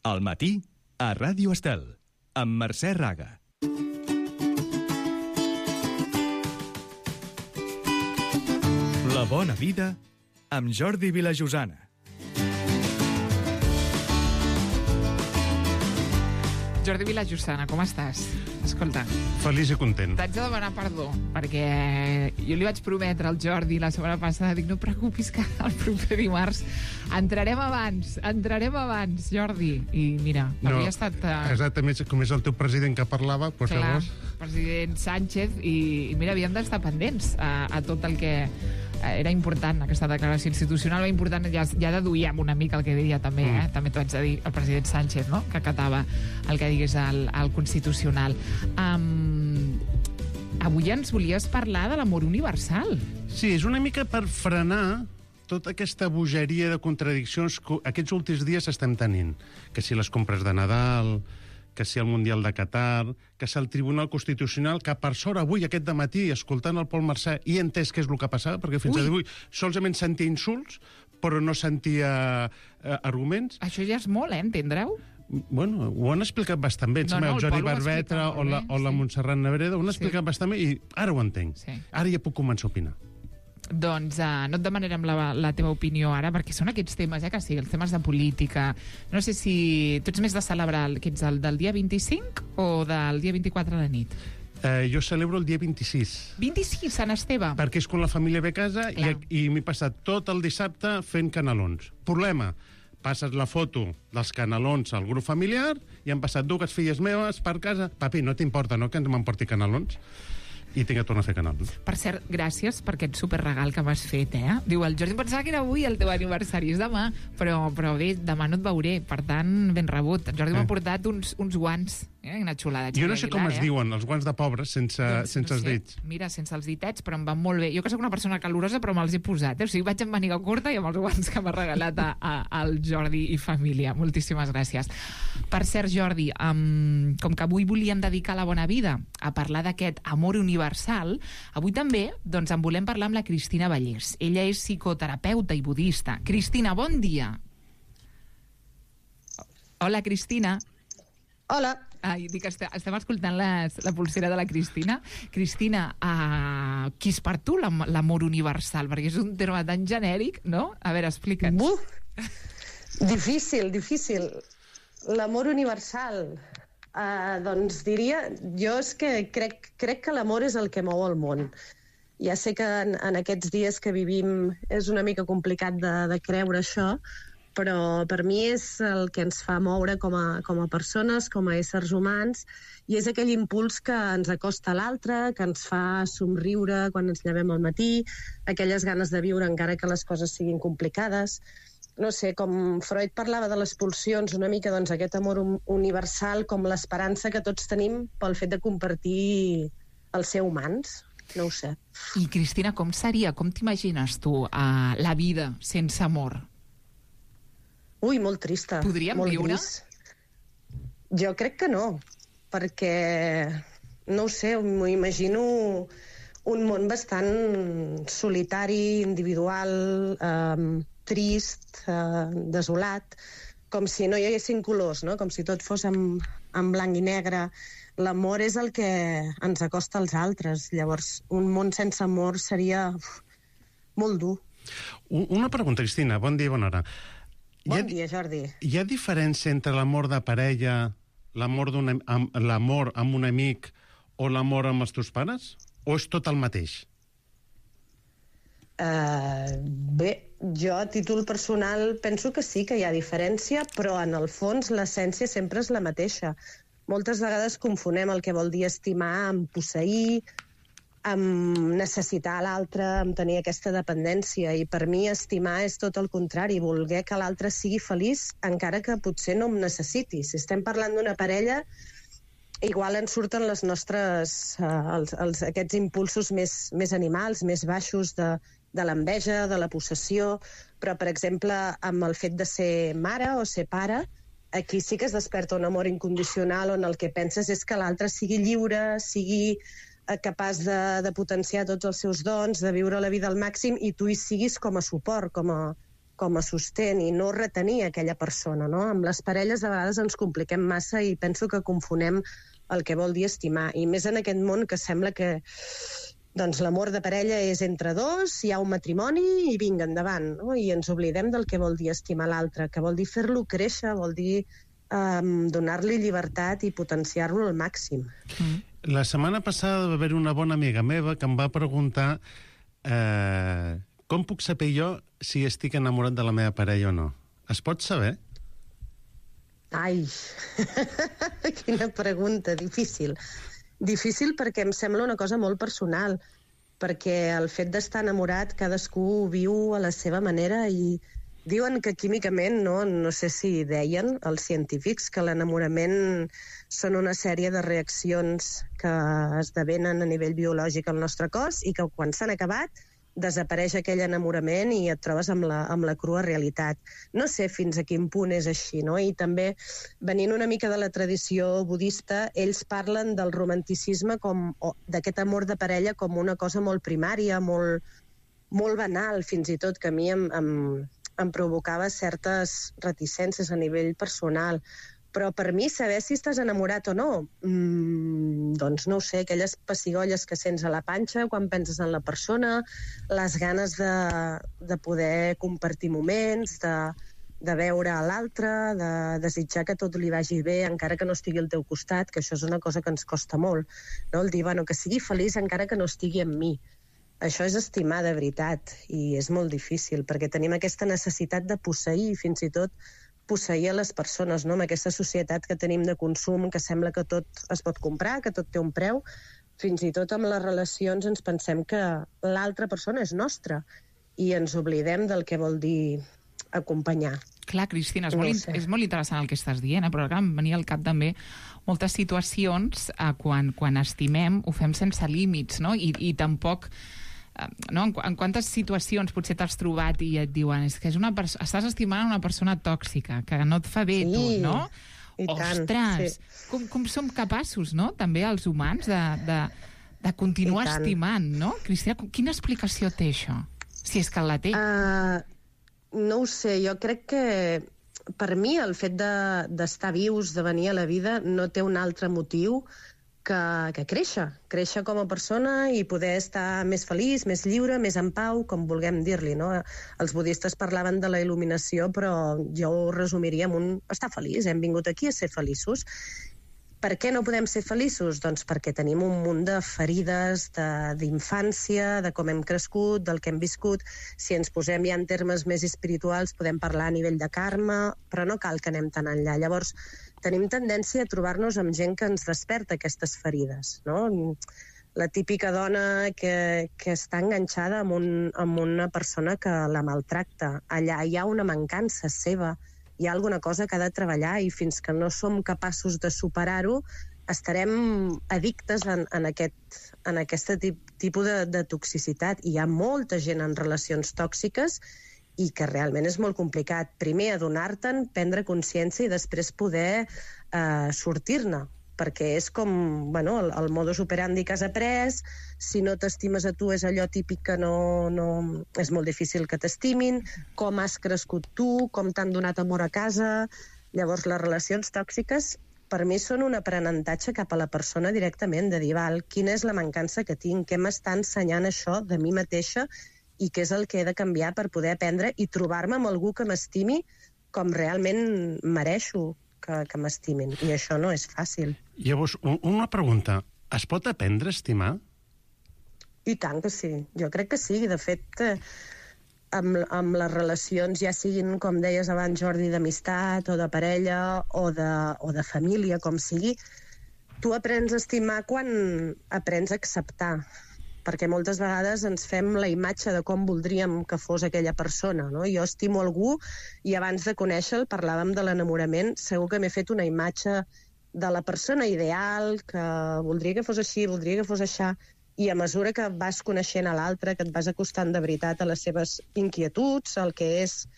Al matí, a Ràdio Estel, amb Mercè Raga. La bona vida amb Jordi Vilajosana. Jordi Vilajosana, com estàs? Escolta, feliç i content. t'haig de demanar perdó, perquè jo li vaig prometre al Jordi la setmana passada, dic, no preocupis que el proper dimarts entrarem abans, Jordi. I mira, havia estat... Exactament, com és el teu president que parlava, doncs clar, llavors... president Sánchez, i mira, havíem d'estar pendents a tot el que... Era important, aquesta declaració institucional, era important, ja deduïem una mica el que diria també, també t'ho haig de dir, el president Sánchez, no?, que acatava el que digués el Constitucional. Avui ens volies parlar de l'amor universal. Sí, és una mica per frenar tota aquesta bogeria de contradiccions que aquests últims dies estem tenint. Que si les compres de Nadal, que si el Mundial de Qatar, que si el Tribunal Constitucional, que per sort avui, aquest dematí, escoltant el Pol Mercè, he entès què és el que passava, perquè fins avui solament sentia insults, però no sentia arguments. Això ja és molt, entendreu? Bueno, ho han explicat bastant bé. El Jordi Barbetra o la Montserrat Nebreda ho han explicat bastant bé i ara ho entenc. Sí. Ara ja puc començar a opinar. Doncs no et demanarem la teva opinió ara, perquè són aquests temes, que sí, els temes de política. No sé si tu ets més de celebrar, que ets del dia 25 o del dia 24 a la nit? Jo celebro el dia 26. 26, Sant Esteve. Perquè és quan la família ve a casa i m'he passat tot el dissabte fent canelons. Problema, passes la foto dels canelons al grup familiar i han passat dues filles meves per casa. Papi, no t'importa, no?, que ens m'emporti canelons? I tinc que tornar a fer canelons. Per cert, gràcies per aquest superregal que m'has fet, Diu, el Jordi pensava que era avui el teu aniversari, és demà, però bé, demà no et veuré, per tant, ben rebut. El Jordi m'ha portat uns guants, una xulada. Jo no sé com es diuen, els guants de pobres, sense els dits. Mira, sense els ditets, però em van molt bé. Jo que sóc una persona calorosa, però me'ls he posat. O sigui, vaig amb màniga curta i amb els guants que m'ha regalat al Jordi i família. Moltíssimes gràcies. Per cert, Jordi, com que avui volíem dedicar la bona vida a parlar d'aquest amor universal, avui també en volem parlar amb la Cristina Vallès. Ella és psicoterapeuta i budista. Cristina, bon dia. Hola, Cristina. Hola. Dic, estem escoltant la pulsera de la Cristina. Cristina, qui és per tu l'amor universal? Perquè és un terme tan genèric, no? A veure, explica'ns. Difícil. L'amor universal. Doncs diria, jo és que crec que l'amor és el que mou el món. Ja sé que en aquests dies que vivim és una mica complicat de creure això, però per mi és el que ens fa moure com a persones, com a éssers humans, i és aquell impuls que ens acosta a l'altre, que ens fa somriure quan ens llevem al matí, aquelles ganes de viure encara que les coses siguin complicades. No sé, com Freud parlava de les pulsions, una mica doncs aquest amor universal com l'esperança que tots tenim pel fet de compartir el ser humans. No ho sé. I Cristina, com seria, com t'imagines tu la vida sense amor? Ui, molt trista. Podríem viure? Jo crec que no, perquè, no ho sé, m'ho imagino un món bastant solitari, individual, trist, desolat, com si no hi haguessin colors, no? Com si tot fos en blanc i negre. L'amor és el que ens acosta als altres. Llavors, un món sense amor seria molt dur. Una pregunta, Cristina. Bon dia i bona hora. Bon dia, Jordi. Hi ha diferència entre l'amor de parella, l'amor amb un amic o l'amor amb els teus pares? O és tot el mateix? Bé, jo a títol personal penso que sí que hi ha diferència, però en el fons l'essència sempre és la mateixa. Moltes vegades confonem el que vol dir estimar amb posseir, amb necessitar l'altre, amb tenir aquesta dependència, i per mi estimar és tot el contrari, voler que l'altre sigui feliç encara que potser no em necessiti. Si estem parlant d'una parella, igual ens surten les nostres aquests impulsos més animals, més baixos de l'enveja, de la possessió, però per exemple amb el fet de ser mare o ser pare, aquí sí que es desperta un amor incondicional on el que penses és que l'altre sigui lliure, sigui capaç de potenciar tots els seus dons, de viure la vida al màxim, i tu hi siguis com a suport, com com a sostén i no retenir aquella persona, no? Amb les parelles a vegades ens compliquem massa i penso que confonem el que vol dir estimar. I més en aquest món que sembla que doncs, l'amor de parella és entre dos, hi ha un matrimoni i vinga, endavant, no? I ens oblidem del que vol dir estimar l'altre, que vol dir fer-lo créixer, vol dir donar-li llibertat i potenciar-lo al màxim. La setmana passada va haver una bona amiga meva que em va preguntar com puc saber jo si estic enamorat de la meva parella o no. Es pot saber? Ai, quina pregunta, difícil. Difícil perquè em sembla una cosa molt personal, perquè el fet d'estar enamorat cadascú viu a la seva manera i diuen que químicament, no sé si deien els científics, que l'enamorament són una sèrie de reaccions que esdevenen a nivell biològic al nostre cos i que quan s'han acabat desapareix aquell enamorament i et trobes amb la crua realitat. No sé fins a quin punt és així, no? I també, venint una mica de la tradició budista, ells parlen del romanticisme d'aquest amor de parella com una cosa molt primària, molt banal, fins i tot, que a mi em provocava certes reticències a nivell personal. Però per mi saber si estàs enamorat o no, doncs no ho sé, aquelles pessigolles que sents a la panxa quan penses en la persona, les ganes de poder compartir moments, de veure a l'altre, de desitjar que tot li vagi bé encara que no estigui al teu costat, que això és una cosa que ens costa molt, no? El dir, bueno, que sigui feliç encara que no estigui amb mi. Això és estimar de veritat i és molt difícil perquè tenim aquesta necessitat de posseir, fins i tot posseir a les persones, no? Amb aquesta societat que tenim de consum, que sembla que tot es pot comprar, que tot té un preu. Fins i tot amb les relacions ens pensem que l'altra persona és nostra i ens oblidem del que vol dir acompanyar. Clar, Cristina, és molt interessant el que estàs dient, però ara em venia al cap també moltes situacions quan estimem ho fem sense límits, no? I tampoc... No? En quantes situacions potser t'has trobat i et diuen és que estàs estimant una persona tòxica, que no et fa bé tu, no? Ostres! Sí. Com som capaços, no? També els humans de continuar estimant, no? Cristina, quina explicació té això? Si és que la té. No ho sé, jo crec que per mi el fet d'estar vius, de venir a la vida, no té un altre motiu que créixer com a persona i poder estar més feliç, més lliure, més en pau, com vulguem dir-li, no? Els budistes parlaven de la il·luminació, però jo ho resumiria amb estar feliç, hem vingut aquí a ser feliços. Per què no podem ser feliços? Doncs perquè tenim un munt de ferides d'infància, de com hem crescut, del que hem viscut. Si ens posem ja en termes més espirituals, podem parlar a nivell de karma, però no cal que anem tan enllà. Llavors, tenim tendència a trobar-nos amb gent que ens desperta aquestes ferides, no? La típica dona que està enganxada amb una persona que la maltracta. Allà hi ha una mancança seva, hi ha alguna cosa que ha de treballar i fins que no som capaços de superar-ho estarem addictes en aquest tipus de toxicitat. Hi ha molta gent en relacions tòxiques i que realment és molt complicat. Primer adonar-te'n, prendre consciència i després poder sortir-ne, perquè és com el modus operandi que has après. Si no t'estimes a tu és allò típic que és molt difícil que t'estimin, com has crescut tu, com t'han donat amor a casa. Llavors les relacions tòxiques per mi són un aprenentatge cap a la persona directament, de dir, quina és la mancança que tinc, què m'està ensenyant això de mi mateixa i què és el que he de canviar per poder aprendre i trobar-me amb algú que m'estimi com realment mereixo que m'estimin. I això no és fàcil. Llavors, una pregunta. Es pot aprendre a estimar? I tant que sí. Jo crec que sí. De fet, amb les relacions, ja siguin, com deies abans, Jordi, d'amistat o de parella o de família, com sigui, tu aprens a estimar quan aprens a acceptar. Perquè moltes vegades ens fem la imatge de com voldríem que fos aquella persona, no? Jo estimo algú i abans de conèixer-lo, parlàvem de l'enamorament, segur que m'he fet una imatge de la persona ideal, que voldria que fos així, voldria que fos aixà, i a mesura que vas coneixent a l'altre, que et vas acostant de veritat a les seves inquietuds, el que és,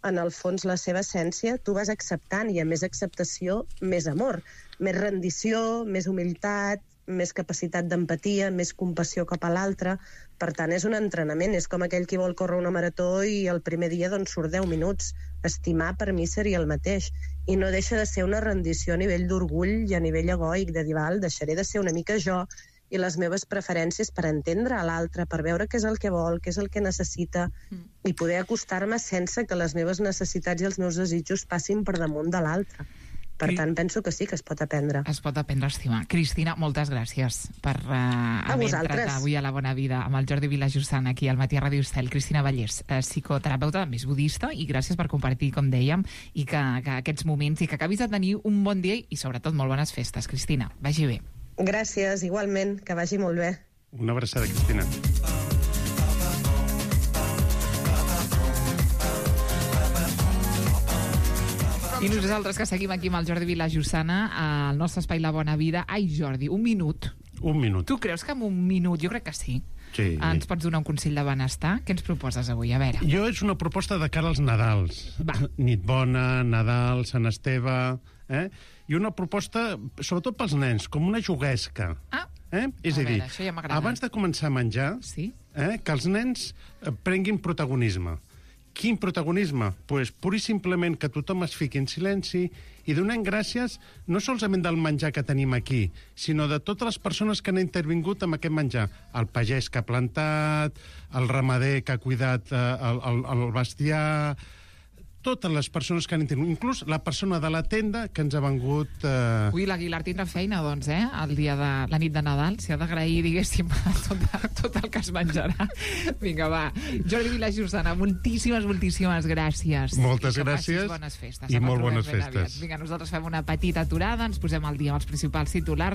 en el fons, la seva essència, tu vas acceptant, i a més acceptació, més amor, més rendició, més humilitat, més capacitat d'empatia, més compassió cap a l'altre. Per tant, és un entrenament. És com aquell qui vol córrer una marató i el primer dia doncs, surt 10 minuts. Estimar per mi seria el mateix. I no deixa de ser una rendició a nivell d'orgull i a nivell egoic, de dir, val, deixaré de ser una mica jo i les meves preferències per entendre a l'altre, per veure què és el que vol, què és el que necessita, i poder acostar-me sense que les meves necessitats i els meus desitjos passin per damunt de l'altre. Per tant, penso que sí que es pot aprendre. Es pot aprendre a estimar. Cristina, moltes gràcies per haver entrat avui a La Bona Vida amb el Jordi Vilajussana aquí al Matí a Ràdio Estel. Cristina Vallès, psicoterapeuta més budista, i gràcies per compartir, com dèiem, i que aquests moments, i que acabis de tenir un bon dia i sobretot molt bones festes. Cristina, vagi bé. Gràcies, igualment, que vagi molt bé. Una abraçada, Cristina. I nosaltres que seguim aquí amb el Jordi Vilajussana al nostre espai La Bona Vida. Ai, Jordi, un minut. Un minut. Tu creus que amb un minut, jo crec que sí, Sí. ens pots donar un consell de benestar? Què ens proposes avui? A veure. Jo és una proposta de cara als Nadals. Va. Nit bona, Nadal, Sant Esteve... I una proposta, sobretot pels nens, com una juguesca. Ah, És a dir, veure, això ja m'agrada. abans de començar a menjar, Sí? que els nens prenguin protagonisme. Quin protagonisme? Pues, pur i simplement que tothom es fiqui en silenci i donem gràcies no solament del menjar que tenim aquí, sinó de totes les persones que han intervingut amb aquest menjar. El pagès que ha plantat, el ramader que ha cuidat el bestiar, totes les persones que han intervingut, inclús la persona de la tenda que ens ha vengut... Ui, l'Aguilar tindrà feina, doncs, el dia de la nit de Nadal. S'ha d'agrair, diguéssim, tot el que es menjarà. Vinga, va. Jordi Vilajussana, moltíssimes gràcies. Moltes I que gràcies. passis bones festes. I Ens molt trobem bones ben aviat. festes. Vinga, nosaltres fem una petita aturada, ens posem al dia amb els principals titulars.